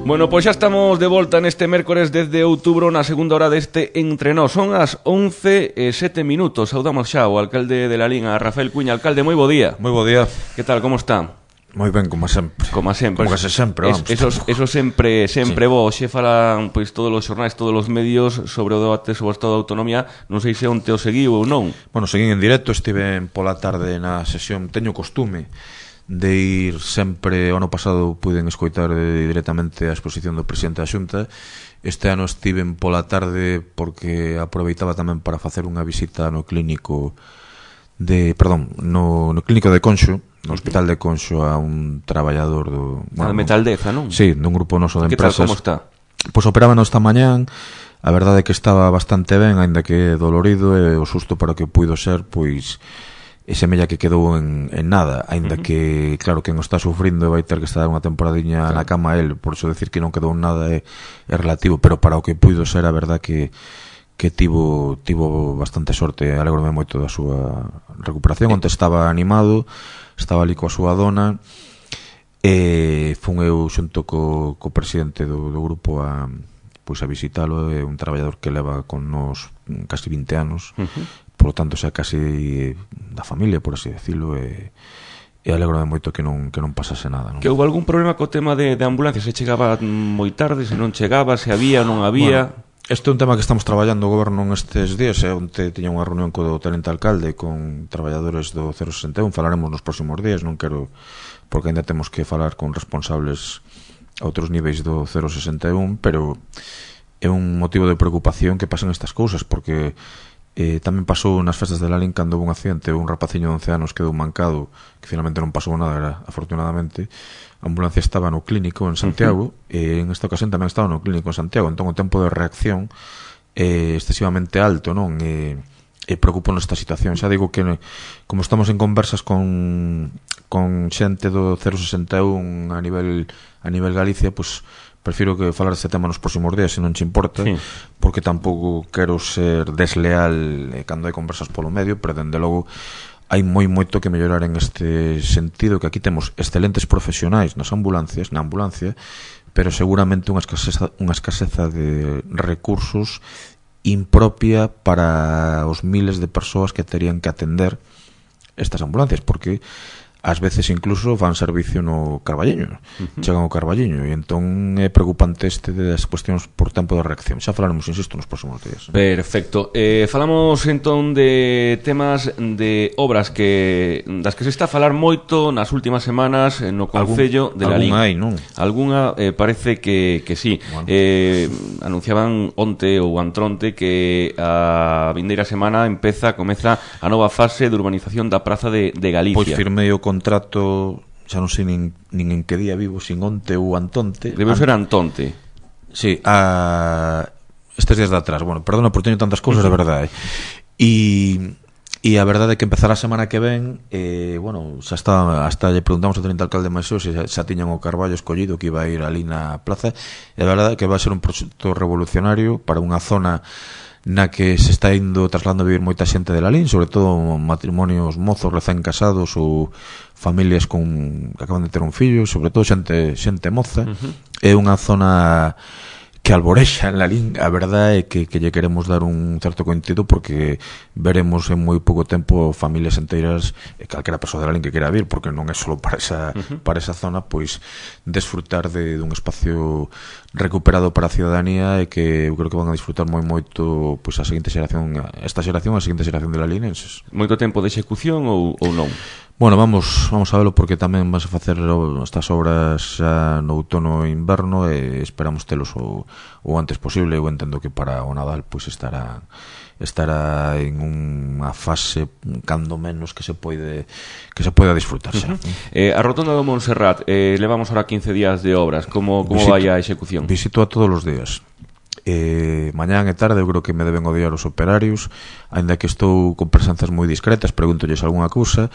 Bueno, pois xa estamos de volta neste mércores 10 de outubro na segunda hora deste Entre Nós. Son as 11:07 minutos. Saudamos xa o alcalde de Lalín, a Rafael Cuña. Alcalde, moi bo día. Moi bo día. Que tal, como está? Moi ben, como sempre. Como sempre. Como case sempre, vamos. Eso sempre sí. Bo. Xe falan pois todos os xornais, todos os medios sobre o debate sobre o Estado de Autonomía. Non sei se onte o seguiu ou non. Bueno, seguín en directo, estive pola tarde na sesión. Teño costume de ir sempre, o ano pasado puiden escoitar directamente a exposición do presidente da Xunta. Este ano estiven pola tarde porque aproveitaba tamén para facer unha visita no clínico no clínico de Conxo, no hospital de Conxo, a un traballador do... Bueno, Metaldeza, non? Sí, dun grupo noso de empresas. Que tal, como está? Pois operábano esta mañán. A verdade é que estaba bastante ben, aínda que dolorido, e o susto para o que puido ser, pois ese mella que quedou en nada, aínda que, claro, quen o está sufrindo vai ter que estar unha temporadiña na cama el, por iso decir que non quedou en nada é relativo, pero para o que puido ser, a verdade que tivo bastante sorte. Alégrome moito da súa recuperación. Onte estaba animado, estaba ali coa súa dona, e fun eu xunto co presidente do grupo a visitalo. É un traballador que leva con nos casi 20 anos, por lo tanto xa casi da familia, por así decirlo, e alégrome moito que non pasase nada, non? Que houve algún problema co tema de ambulancias? Se chegaba moi tarde, se non chegaba, se había, non había... Bueno, este é un tema que estamos traballando o goberno nestes días. Onte tiña unha reunión co tenente alcalde con traballadores do 061. Falaremos nos próximos días, non quero, porque ainda temos que falar con responsables a outros niveis do 061, pero é un motivo de preocupación que pasen estas cousas, porque tamén pasou nas festas de Lalín cando houve un accidente, un rapaciño de 11 anos quedou mancado, que finalmente non pasou nada, afortunadamente. A ambulancia estaba no clínico en Santiago, e en esta ocasión tamén estaba no clínico en Santiago, entón o tempo de reacción é excesivamente alto, non? E preocupo nesta situación. Xa digo que, como estamos en conversas con xente do 061 a nivel Galicia, pois prefiro que falar deste tema nos próximos días, se non che importa, sí, porque tampouco quero ser desleal cando hai conversas polo medio, pero dende logo hai moito que mellorar en este sentido, que aquí temos excelentes profesionais na ambulancia, pero seguramente unha escaseza de recursos impropia para os miles de persoas que terían que atender estas ambulancias, porque ás veces incluso fan servicio no Carballiño, chegan ao Carballiño, e entón é preocupante das cuestións por tempo de reacción. Xa falaremos, insisto, nos próximos días. Perfecto. Falamos entón de temas de obras das que se está a falar moito nas últimas semanas no Concello de Lalín. Algún hai, non? Algunha parece que sí. Bueno. Anunciaban onte ou antronte que a vindeira semana comeza a nova fase de urbanización da Praza de Galicia. Pois firmei o contrato, xa non sei nin en que día vivo, sin onte ou antonte. Debe ser antonte. Sí, estes días de atrás. Bueno, perdona por teño tantas cousas, de verdade. E a verdade é que empezará a semana que ven, bueno, xa está, hasta lle preguntamos ao tenente alcalde Maisó se xa tiñan o Carballo escollido que iba a ir ali na plaza, e a verdade é que vai ser un proxecto revolucionario para unha zona na que se está indo trasladando a vivir moita xente de Lalín, sobre todo matrimonios mozos recén casados ou familias que acaban de ter un fillo, sobre todo xente moza. É unha zona que alborexa en Lalín. A verdade é que lle queremos dar un certo contido, porque veremos en moi pouco tempo familias enteiras, calquera persoa de Lalín que quera vir, porque non é só para esa zona, pois desfrutar dun espacio recuperado para a ciudadanía, e que eu creo que van a disfrutar moito pois a seguinte xeración, esta xeración, a seguinte xeración de lalinenses. Moito tempo de execución ou non? Bueno, vamos a velo, porque tamén vas a facer estas obras xa no outono e inverno, e esperamos telos o antes posible. Eu entendo que para o Nadal pois estará en unha fase cando menos que se poida disfrutar xa. A rotonda do Montserrat, levamos ahora 15 días de obras. Como vai a execución? Visito a todos os días. Mañán e tarde eu creo que me deben odiar os operarios, aínda que estou con presencias moi discretas, pregúntolles algunha cousa,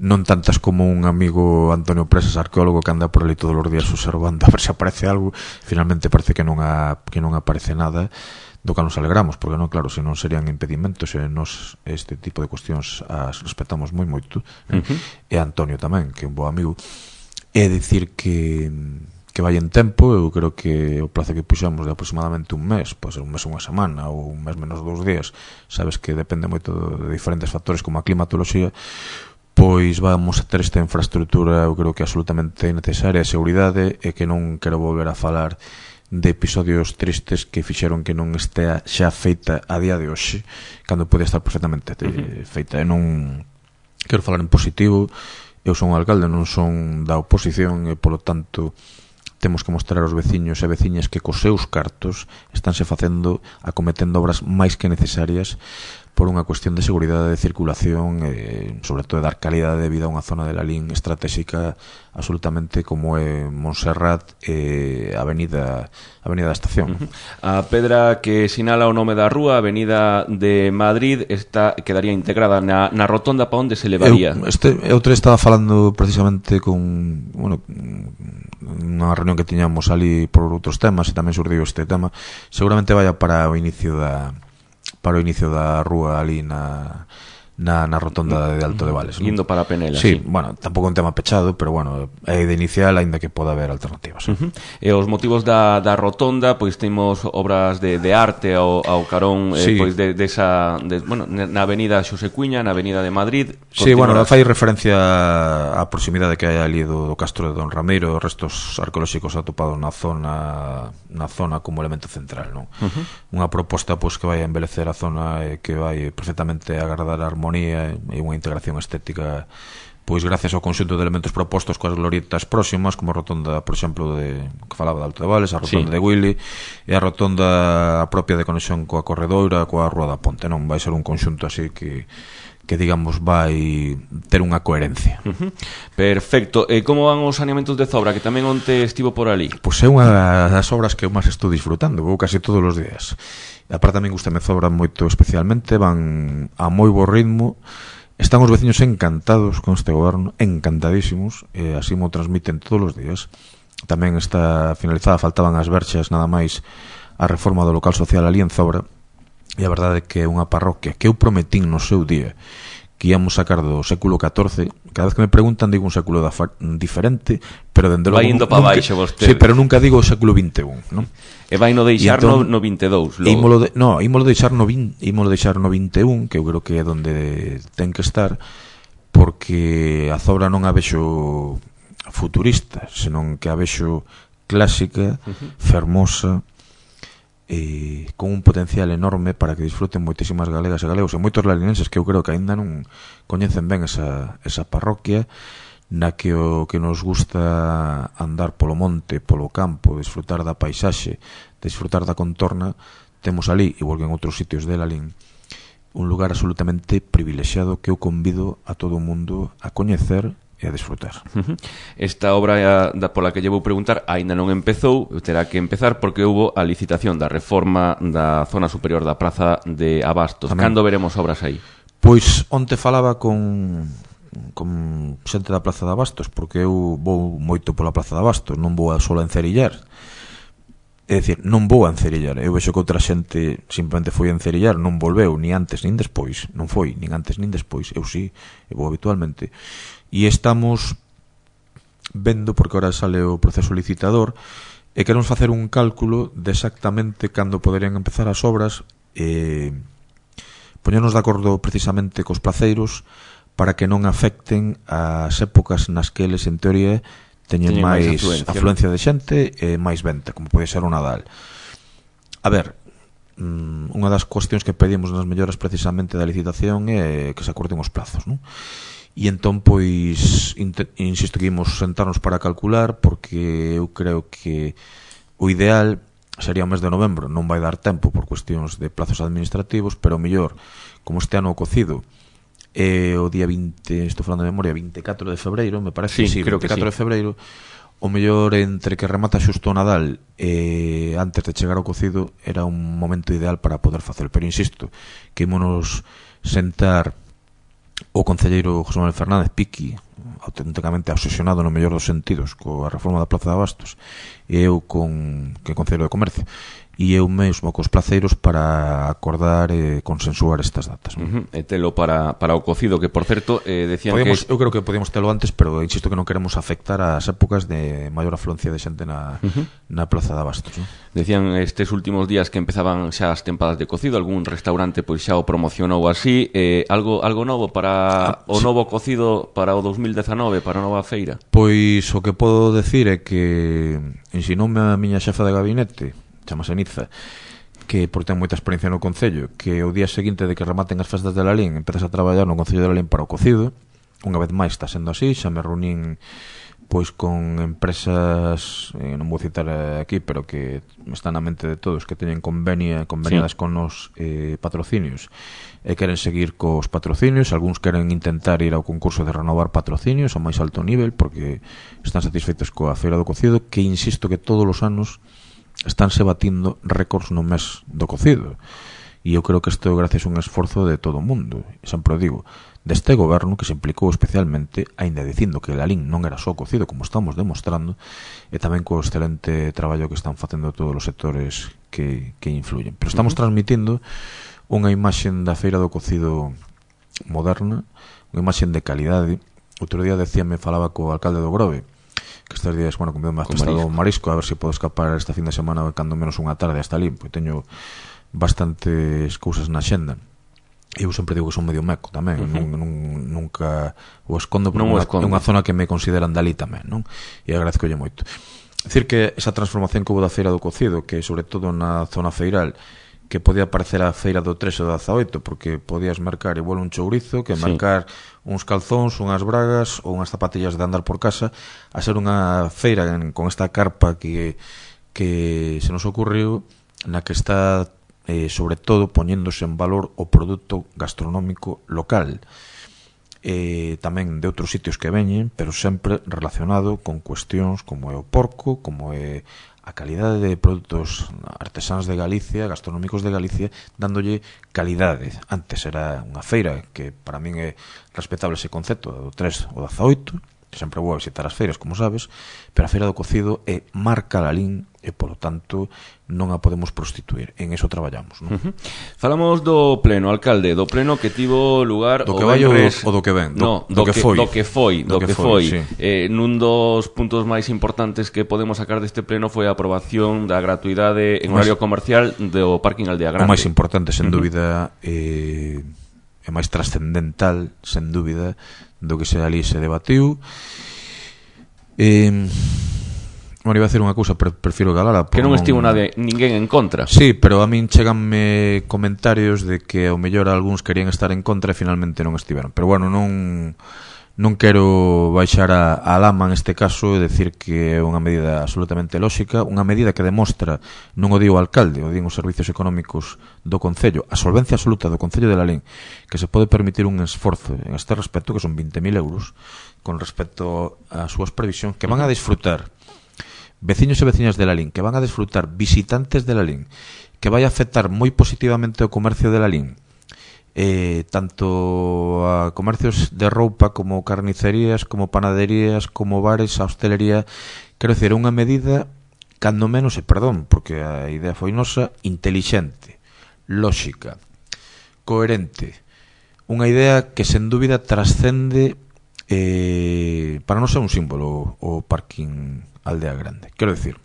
non tantas como un amigo Antonio Presas, arqueólogo, que anda por ali todos os días observando a ver se aparece algo. Finalmente parece que non aparece nada, do que nos alegramos, porque non, claro, se non serían impedimentos, e nos este tipo de cuestións as respetamos moito. E Antonio tamén, que é un bo amigo. É dicir que vai en tempo. Eu creo que o plazo que puxamos de aproximadamente un mes, pode ser un mes ou unha semana, ou un mes menos 2 días, sabes que depende moito de diferentes factores como a climatoloxía, pois vamos a ter esta infraestructura, eu creo que absolutamente necesaria, de seguridade, e que non quero volver a falar de episodios tristes que fixeron que non estea xa feita a día de hoxe, cando pode estar perfectamente feita. E non quero falar en positivo, eu son un alcalde, non son da oposición, e polo tanto temos que mostrar aos veciños e veciñas que cos seus cartos estánse facendo, acometendo obras máis que necesarias por unha cuestión de seguridade de circulación e, sobre todo, de dar calidade de vida a unha zona de Lalín estratégica absolutamente como é Montserrat e a Avenida da Estación. A pedra que sinala o nome da rúa, Avenida de Madrid, quedaría integrada na rotonda para onde se levaría. Outro estaba falando precisamente con unha reunión que tiñamos ali por outros temas, e tamén surdiu este tema. Seguramente vaya para o inicio da rúa ali na rotonda de Alto de Vales, ¿no? Indo para Penela. Sí, bueno, tampouco un tema pechado, pero bueno, é de inicial, aínda que poda haber alternativas. E os motivos da rotonda, pois temos obras de arte ao carón, sí. Pois na Avenida Xosé Cuña, na Avenida de Madrid. Sí, bueno, fai referencia á proximidade que hai ali do Castro de Don Ramiro, restos arqueolóxicos atopados na zona como elemento central, non? Unha proposta pois que vai a embelecer a zona e que vai perfectamente agardar a armonía e unha integración estética, pois gracias ao conxunto de elementos propostos coas glorietas próximas, como a rotonda, por exemplo, que falaba de Alto de Vales, a rotonda de Willy e a rotonda propia de conexión coa Corredoira, coa Rúa da Ponte, non? Vai ser un conxunto así que digamos vai ter unha coherencia. Perfecto. E como van os saneamentos de Zobra, que tamén onte estivo por ali? Pois é unha das obras que eu máis estou disfrutando, vou casi todos os días. E aparte tamén gustame Zobra moito especialmente, van a moi bo ritmo. Están os veciños encantados con este goberno, encantadísimos, e así mo transmiten todos os días. Tamén está finalizada, faltaban as verxas nada máis a reforma do local social ali en Zobra. E a verdade é que é unha parroquia que eu prometín no seu día que íamos sacar do século XIV. Cada vez que me preguntan digo un século diferente, pero dende logo vai indo para baixo vostede. Sí, pero nunca digo o século XXI, non? E vai no deixar entón, no 22 ímolo deixar no 21, que eu creo que é onde ten que estar, porque a Zobra non a vexo futurista, senón que a vexo clásica, fermosa, con un potencial enorme para que disfruten moitísimas galegas e galegos e moitos lalinenses que eu creo que aínda non coñecen ben esa parroquia, na que o que nos gusta andar polo monte, polo campo, disfrutar da paisaxe, disfrutar da contorna, temos ali, igual que en outros sitios de Lalín, un lugar absolutamente privilexiado que eu convido a todo o mundo a coñecer e a disfrutar. Esta obra pola que lle vou preguntar aínda non empezou, terá que empezar porque houbo a licitación da reforma da zona superior da Praza de Abastos. Cando veremos obras aí? Pois onte falaba con xente da Praza de Abastos, porque eu vou moito pola Praza de Abastos, non vou só a encerillar. É dicir, non vou a encerillar. Eu vexo que outra xente simplemente foi a encerillar, non volveu, ni antes nin despois. Non foi, nin antes nin despois. Eu sí, eu vou habitualmente. E estamos vendo, porque ahora sale o proceso licitador, e queremos facer un cálculo de exactamente cando poderían empezar as obras, poñernos de acordo precisamente cos placeiros para que non afecten as épocas nas que eles, en teoría, teñen máis afluencia de xente e máis venta, como pode ser o Nadal. A ver, unha das cuestións que pedimos nas melloras precisamente da licitación é que se acorten os plazos, non? E entón, pois, insisto que imos sentarnos para calcular, porque eu creo que o ideal sería o mes de novembro. Non vai dar tempo por cuestións de plazos administrativos, pero o mellor, como este ano o cocido é o día 20, estou falando de memoria, 24 de febreiro, me parece, sí, creo 24 que sí. de febreiro, o mellor entre que remata xusto o Nadal e antes de chegar ao cocido era un momento ideal para poder facer. Pero insisto, que ímonos sentar o concelleiro José Manuel Fernández Piqui, auténticamente obsesionado no mellor dos sentidos coa reforma da Plaza de Abastos, e eu con Concello de Comercio, e eu mesmo cos placeiros para acordar e consensuar estas datas. E telo para o cocido, que por certo decían que... Eu creo que podíamos telo antes, pero insisto que non queremos afectar as épocas de maior afluencia de xente na Plaza de Abastos. Decían estes últimos días que empezaban xa as tempadas de cocido, algún restaurante pois xa o promocionou así, algo novo para o novo cocido para o 2019, para a nova feira? Pois o que podo decir é que ensinoume a miña xefa de gabinete, chamase Niza, que por ten moita experiencia no Concello, que o día seguinte de que rematen as festas de Lalín empezas a traballar no Concello de Lalín para o cocido. Unha vez máis está sendo así, xa me reunín pois con empresas, non vou citar aquí, pero que están na mente de todos, que teñen conveniadas con os patrocinios e queren seguir cos patrocinios. Algúns queren intentar ir ao concurso de renovar patrocinios ao máis alto nivel porque están satisfeitos coa feira do cocido, que insisto que todos os anos estánse batindo récords no mes do cocido, e eu creo que isto é gracias a un esforzo de todo o mundo, sempre o digo, deste goberno, que se implicou especialmente, aínda dicindo que Lalín non era só cocido, como estamos demostrando, e tamén co excelente traballo que están facendo todos os sectores que influyen. Pero estamos transmitindo unha imaxen da feira do cocido moderna, unha imaxen de calidade. Outro día falaba co alcalde do Grove, que estes días, comío máis prestado marisco, a ver se podo escapar esta fin de semana cando menos unha tarde hasta ali, porque teño bastantes cousas na xenda. Eu sempre digo que son medio meco tamén, nunca o escondo, porque é unha zona que me consideran dali tamén, non? E agradezcolle moito. Decir que esa transformación que houve da feira do cocido, que sobre todo na zona feiral, que podía parecer a feira do 3 ou do 18, porque podías mercar igual un chourizo que mercar uns calzóns, unhas bragas ou unhas zapatillas de andar por casa, a ser unha feira con esta carpa que se nos ocurriu, na que está sobre todo poñéndose en valor o produto gastronómico local, tamén de outros sitios que veñen, pero sempre relacionado con cuestións como é o porco, como é a calidade de produtos artesáns de Galicia, gastronómicos de Galicia, dándolle calidade. Antes era unha feira que para min é respetable ese concepto do 3 ou 18, que sempre vou a visitar as feiras, como sabes, pero a feira do cocido é marca Lalín e, polo tanto, non a podemos prostituir. En eso traballamos, non? Falamos do pleno, alcalde, do pleno que tivo lugar do que vai ou do que ven? Do que foi. Sí. Nun dos puntos máis importantes que podemos sacar deste pleno foi a aprobación da gratuidade en horario comercial do parking Aldea Grande. O máis importante, sen dúbida, é máis trascendental, sen dúbida, do que se ali se debatiu. Iba a decir unha cousa, prefiro galala, que non estivo ninguén en contra. Sí, pero a min cheganme comentarios de que ao mellor algúns querían estar en contra e finalmente non estiveron. Pero bueno, non quero baixar a lama neste caso e decir que é unha medida absolutamente lóxica, unha medida que demostra, non o di o alcalde, o din os servicios económicos do Concello, a solvencia absoluta do Concello de Lalín, que se pode permitir un esforzo en este respecto, que son 20.000 euros, con respecto ás súas previsións, que van a disfrutar veciños e veciñas de Lalín, que van a disfrutar visitantes de Lalín, que vai a afectar moi positivamente o comercio de Lalín, tanto a comercios de roupa como carnicerías, como panaderías, como bares, a hostelería. Quero dicir, unha medida, cando menos, perdón, porque a idea foi nosa, intelixente, lóxica, coherente, unha idea que sen dúbida trascende, para non ser un símbolo, o parking Aldea Grande. Quero dicir,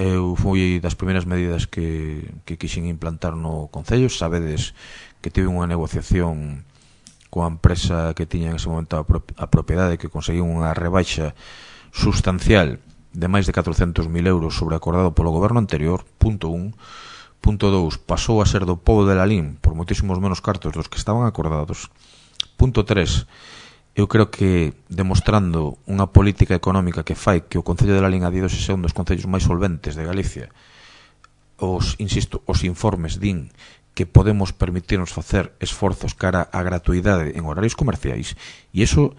eu fui das primeiras medidas que quixen implantar no Concello. Sabedes que tive unha negociación coa empresa que tiña en ese momento a propiedade, que conseguiu unha rebaixa sustancial de máis de 400.000 euros sobre acordado polo goberno anterior, punto 1. Punto 2, pasou a ser do pobo de Lalín por moitísimos menos cartos dos que estaban acordados. Punto 3, eu creo que demostrando unha política económica que fai que o Concello de Lalín a día de hoxe sea un dos concellos máis solventes de Galicia. Os informes din que podemos permitirnos facer esforzos cara á gratuidade en horarios comerciais, e iso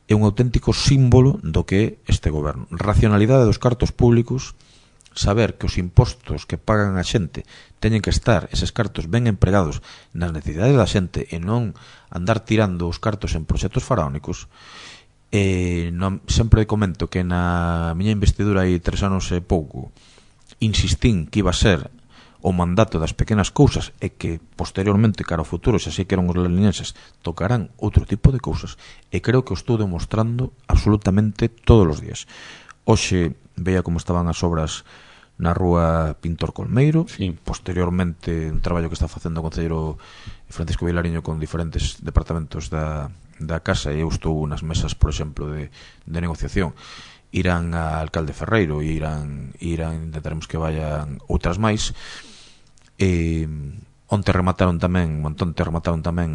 é un auténtico símbolo do que é este goberno. Racionalidade dos cartos públicos, saber que os impostos que pagan a xente teñen que estar, eses cartos ben empregados nas necesidades da xente e non andar tirando os cartos en proxectos faraónicos. Sempre comento que na miña investidura hai 3 anos e pouco insistín que iba a ser o mandato das pequenas cousas e que posteriormente, cara ao futuro, xa sei que eran os lalinenses, tocarán outro tipo de cousas, e creo que o estou demostrando absolutamente todos os días. Hoxe veía como estaban as obras na rúa Pintor Colmeiro, sí. Posteriormente un traballo que está facendo o concelleiro Francisco Vilariño con diferentes departamentos da casa, e eu estou nas mesas, por exemplo, de negociación. Irán a Alcalde Ferreiro e irán intentaremos que vayan outras máis. Onte remataron tamén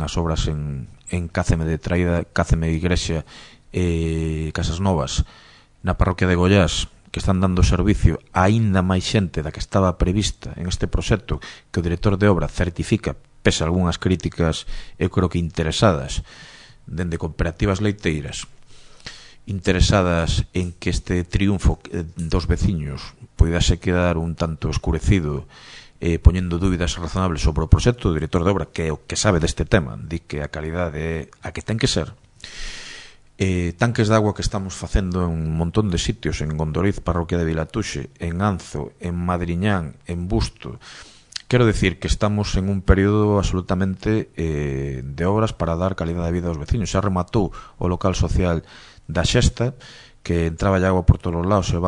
as obras en Cáceme de Traída, Cáceme Igrexa e Casas Novas na parroquia de Goiás, que están dando servicio a aínda máis xente da que estaba prevista en este proxecto, que o director de obra certifica, pese a algunhas críticas, eu creo que interesadas, dende cooperativas leiteiras, interesadas en que este triunfo dos veciños poidase quedar un tanto escurecido, poñendo dúbidas razonables sobre o proxecto. O director de obra, que é o que sabe deste tema, di que a calidade é a que ten que ser. Tanques de agua que estamos facendo en un montón de sitios, en Gondoriz, parroquia de Vilatuxe, en Anzo, en Madriñán, en Busto. Quero decir que estamos en un período absolutamente de obras para dar calidad de vida aos veciños. Xa rematou o local social da Xesta, que entraba agua por todos os lados, e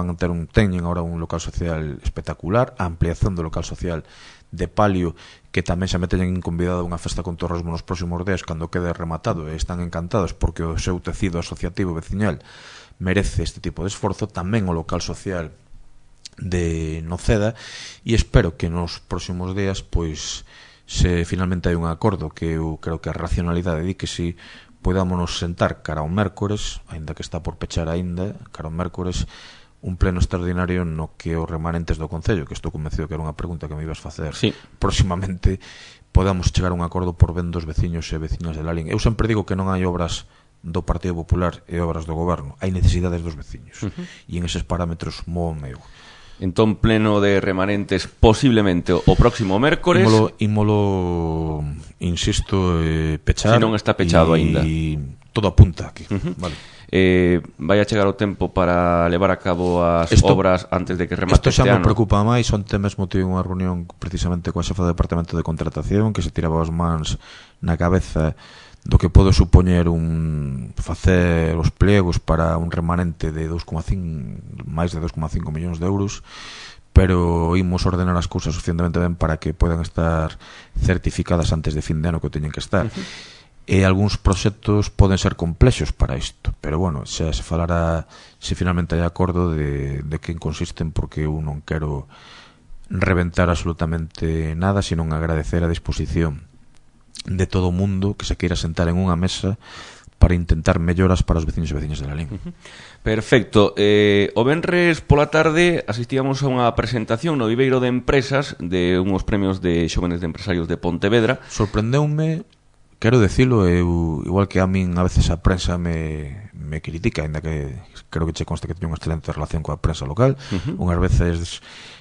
teñen agora un local social espectacular, a ampliación do local social de Palio, que tamén xa me teñen convidado a unha festa con torresmo nos próximos días cando quede rematado, e están encantados porque o seu tecido asociativo veciñal merece este tipo de esforzo. Tamén o local social de Noceda, e espero que nos próximos días, pois, se finalmente hai un acordo, que eu creo que a racionalidade di que si, podámonos sentar cara ao mércores, aínda que está por pechar aínda, cara ao mércores, un pleno extraordinario no que os remanentes do Concello, que estou convencido que era unha pregunta que me ibas facer, sí, próximamente, podamos chegar a un acordo por ben dos veciños e veciñas de Lalín. Eu sempre digo que non hai obras do Partido Popular e obras do Goberno, hai necesidades dos veciños, e en eses parámetros móvome eu. Entón, pleno de remanentes posiblemente o próximo mércores. Ímolo, insisto, pechar. Se non está pechado aínda. E todo apunta aquí. Vale. Vai a chegar o tempo para levar a cabo as obras antes de que remate este ano. Isto xa me preocupa máis. Onte mesmo tive unha reunión precisamente coa xefa do Departamento de Contratación, que se tiraba as mans na cabeza do que pode supoñer facer os pliegos para un remanente de máis de 2,5 millóns de euros, pero imos ordenar as cousas suficientemente ben para que podan estar certificadas antes de fin de ano, que teñen que estar. E algúns proxectos poden ser complexos para isto, pero bueno, xa se falará se finalmente hai acordo de que consisten, porque eu non quero reventar absolutamente nada, sino agradecer a disposición de todo o mundo que se queira sentar en unha mesa para intentar melloras para os veciños e veciñas de Lalín. Perfecto. O venres pola tarde asistíamos a unha presentación no Viveiro de Empresas de unhos premios de Xóvenes de Empresarios de Pontevedra. Sorprendeume, quero decilo, igual que a min a veces a prensa me critica, ainda que creo que che consta que teño unha excelente relación coa prensa local, unhas veces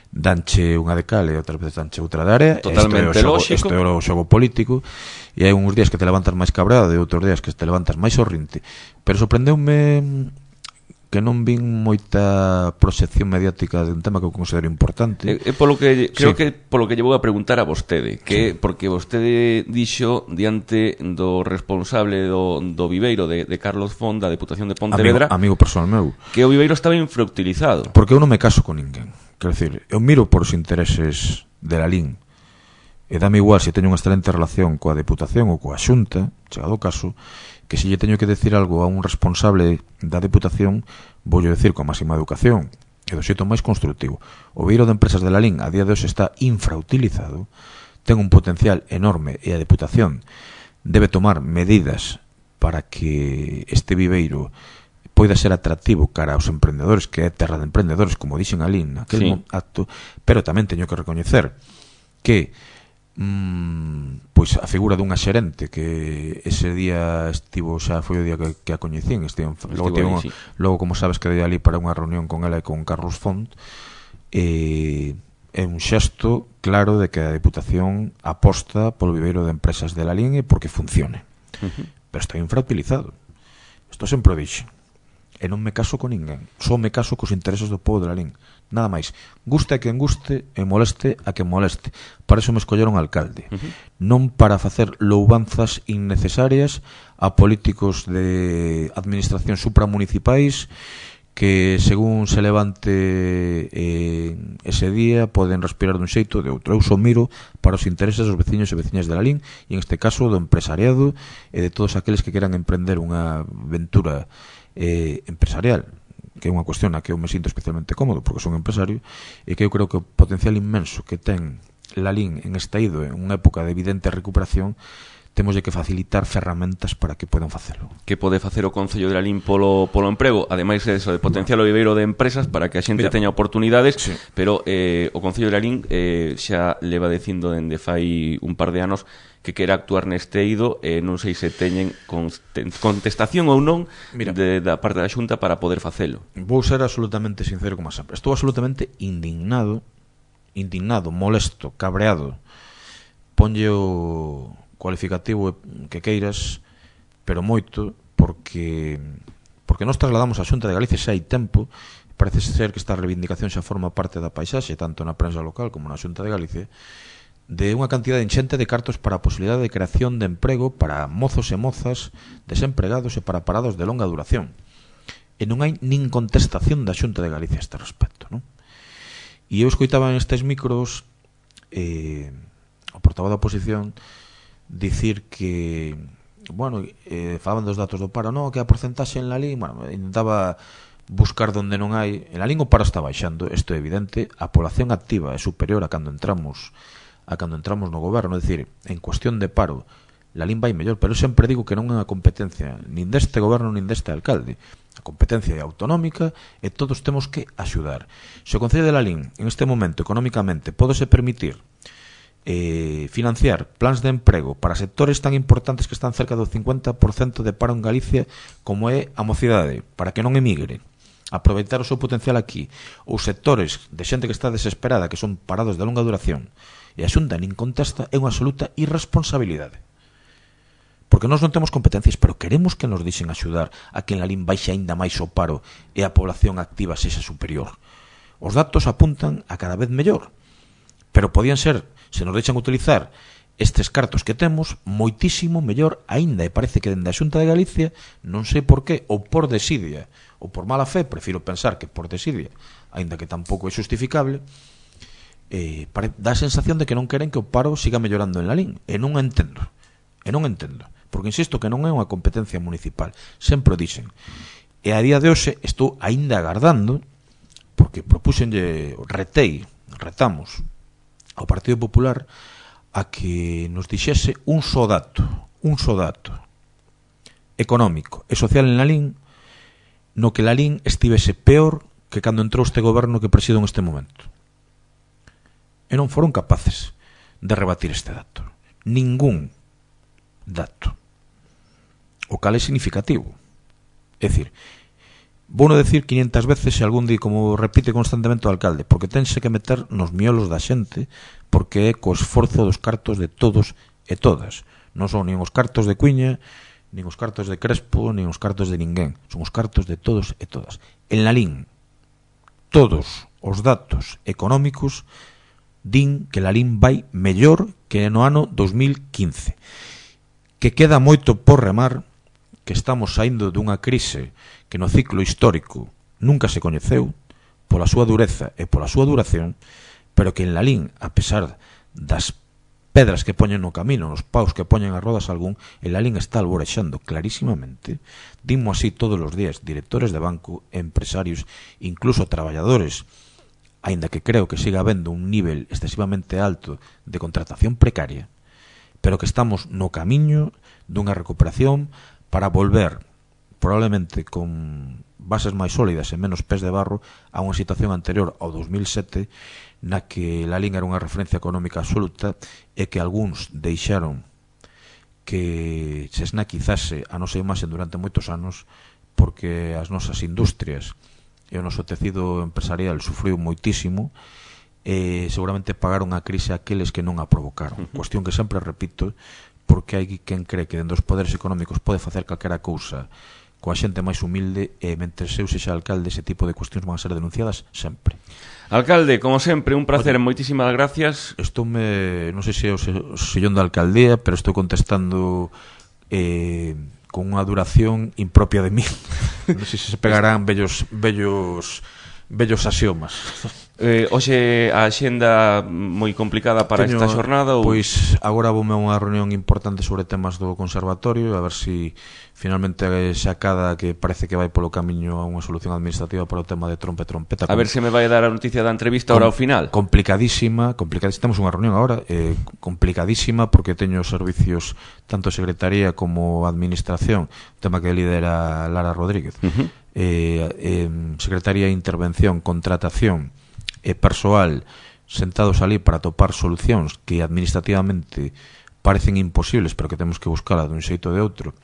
danche unha de cal e outras veces danche outra de área. Totalmente lógico. Isto é o xogo político, e hai uns días que te levantas máis cabreado e outros días que te levantas máis sorrinte, pero sorprendeume que non vin moita proxección mediática de un tema que eu considero importante. Polo que creo que polo que lle vou a preguntar a vostede, que porque vostede dixo diante do responsable do Viveiro de Carlos Font, da Deputación de Pontevedra, amigo personal meu, que o Viveiro estaba infrautilizado. Porque eu non me caso con ninguén. Quero dicir, eu miro por os intereses de Lalín, e dame igual se teño unha excelente relación coa Deputación ou coa Xunta, chegado o caso, que se lle teño que decir algo a un responsable da Deputación, voulle decir coa máxima educación e do xeito máis constructivo. O Viveiro de Empresas de Lalín a día de hoxe está infrautilizado, ten un potencial enorme, e a Deputación debe tomar medidas para que este viveiro poida ser atractivo cara aos emprendedores, que é terra de emprendedores, como dixen ali naquele acto, pero tamén teño que recoñecer que pois a figura dunha xerente que ese día estivo, xa foi o día que a coñecín, logo como sabes que dei ali para unha reunión con ela e con Carlos Font, é un xesto claro de que a Deputación aposta polo viveiro de empresas de Lalín e porque funcione. Pero está infrautilizado. Isto sempre o dixen. E non me caso con ninguén. Só me caso cos intereses do povo de Lalín. Nada máis. Guste a quen guste e moleste a quen moleste. Para eso me escolleron alcalde. Non para facer loubanzas innecesarias a políticos de administración supramunicipais que según se levante ese día poden respirar dun xeito ou de outro. Eu só miro para os intereses dos veciños e veciñas de Lalín e en este caso do empresariado e de todos aqueles que queran emprender unha aventura empresarial, que é unha cuestión na que eu me sinto especialmente cómodo porque son empresario e que eu creo que o potencial inmenso que ten Lalín en esta ido en unha época de evidente recuperación temos de que facilitar ferramentas para que podan facelo. Que pode facer o Concello de Lalín polo emprego, ademais de eso, de potenciar o viveiro de empresas para que a xente teña oportunidades, sí. Pero o Concello de Lalín xa leva dicindo dende fai un par de anos que quere actuar neste eido, non sei se teñen contestación ou non da parte da Xunta para poder facelo. Vou ser absolutamente sincero como sempre. Estou absolutamente indignado, molesto, cabreado. Ponlle o cualificativo que queiras, pero moito, porque nós trasladamos a Xunta de Galicia xa hai tempo. Parece ser que esta reivindicación xa forma parte da paisaxe, tanto na prensa local como na Xunta de Galicia, de unha cantidad enxente de cartos para a posibilidade de creación de emprego para mozos e mozas desempregados e para parados de longa duración. E non hai nin contestación da Xunta de Galicia a este respecto, non? E eu escoitaba en estes micros o portavoz da oposición dicir que, bueno, falaban dos datos do paro, non, que a porcentaxe en Lalín, bueno, intentaba buscar donde non hai. En Lalín o paro está baixando, isto é evidente, a población activa é superior a cando entramos no goberno, é dicir, en cuestión de paro, Lalín vai mellor, pero eu sempre digo que non é unha competencia nin deste goberno nin deste alcalde. A competencia é autonómica e todos temos que axudar. Se o Concello de Lalín, en este momento, económicamente, pódese permitir financiar plans de emprego para sectores tan importantes que están cerca do 50% de paro en Galicia como é a mocidade, para que non emigre, aproveitar o seu potencial aquí, ou sectores de xente que está desesperada, que son parados de longa duración, e a Xunta nin contesta, é unha absoluta irresponsabilidade. Porque nós non temos competencias, pero queremos que nos dixen axudar a que en Lalín baixe aínda máis o paro e a población activa sexa superior. Os datos apuntan a cada vez mellor, pero podían ser, se nos deixan utilizar estes cartos que temos, moitísimo mellor aínda, e parece que dende a Xunta de Galicia, non sei por qué, ou por desidia, ou por mala fe, prefiro pensar que por desidia, aínda que tampouco é justificable, dá a sensación de que non queren que o paro siga mellorando en Lalín, e non entendo, porque insisto que non é unha competencia municipal, sempre o dixen, e a día de hoxe estou aínda agardando, porque retamos ao Partido Popular a que nos dixese un só dato económico e social en Lalín no que Lalín estivese peor que cando entrou este goberno que presido en este momento. E non foron capaces de rebatir este dato. Ningún dato. O cal é significativo. É dicir, vou non decir 500 veces se algún di, como repite constantemente o alcalde, porque tense que meter nos miolos da xente, porque é co esforzo dos cartos de todos e todas. Non son nin os cartos de Cuiña, nin os cartos de Crespo, nin os cartos de ninguén. Son os cartos de todos e todas. En Lalín, todos os datos económicos din que Lalín vai mellor que no ano 2015. Que queda moito por remar, que estamos saindo dunha crise que no ciclo histórico nunca se coñeceu pola súa dureza e pola súa duración, pero que en Lalín, a pesar das pedras que poñen no camino, nos paus que poñen as rodas algún, en Lalín está alborexando clarísimamente, dimos así todos os días, directores de banco, empresarios, incluso traballadores, aínda que creo que siga habendo un nivel excesivamente alto de contratación precaria, pero que estamos no camiño dunha recuperación para volver, probablemente con bases máis sólidas e menos pés de barro, a unha situación anterior ao 2007, na que Lalín era unha referencia económica absoluta e que algúns deixaron que se esnaquizase a nosa imaxe durante moitos anos porque as nosas industrias e o noso tecido empresarial sufriu moitísimo, seguramente pagaron a crise aqueles que non a provocaron. Cuestión que sempre repito, porque hai quen cree que dentro dos poderes económicos pode facer calquera cousa coa xente máis humilde, e mentre eu sexa alcalde ese tipo de cuestións van a ser denunciadas sempre. Alcalde, como sempre, un placer, moitísimas gracias. Non sei se é o sillón da alcaldía, pero estou contestando con unha duración impropia de mí. Non sei se pegarán vellos axiomas. Hoxe a axenda moi complicada para esta xornada ou... Pois agora voume a unha reunión importante sobre temas do conservatorio, a ver se finalmente se acada, que parece que vai polo camiño a unha solución administrativa para o tema de trompeta. A ver se me vai dar a noticia da entrevista ahora ao final. Complicadísima, temos unha reunión agora, complicadísima, porque teño servicios tanto secretaría como administración, tema que lidera Lara Rodríguez, secretaría de intervención, contratación e persoal sentados ali para topar solucións que administrativamente parecen imposibles, pero que temos que buscala dun xeito ou de outro,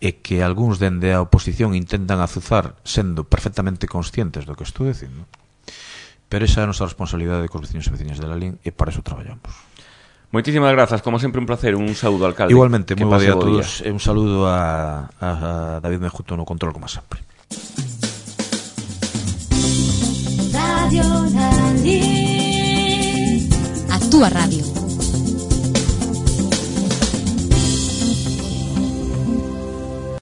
e que algúns dende a oposición intentan azuzar sendo perfectamente conscientes do que estou dicindo. Pero esa é a nosa responsabilidade cos veciños e veciñas de Lalín, e para eso traballamos. Moitísimas grazas, como sempre un placer, un saúdo, alcalde. Igualmente, moi bo día a todos, e un saludo a David Mejuto no control, como sempre. Radio Lalín, a túa radio.